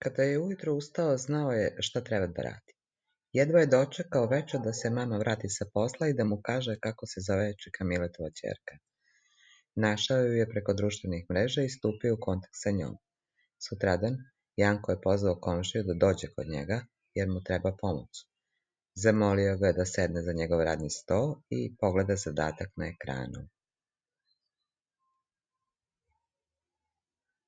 Kada je ujutro ustao, znao je šta treba da radi. Jedva je dočekao večer da se mama vrati sa posla i da mu kaže kako se zove čika Miletova ćerka. Našao ju je preko društvenih mreža i stupio u kontakt sa njom. Sutradan, Janko je pozvao komšiju da dođe kod njega, jer mu treba pomoć. Zamolio ga je da sedne za njegov radni sto i pogleda zadatak na ekranu.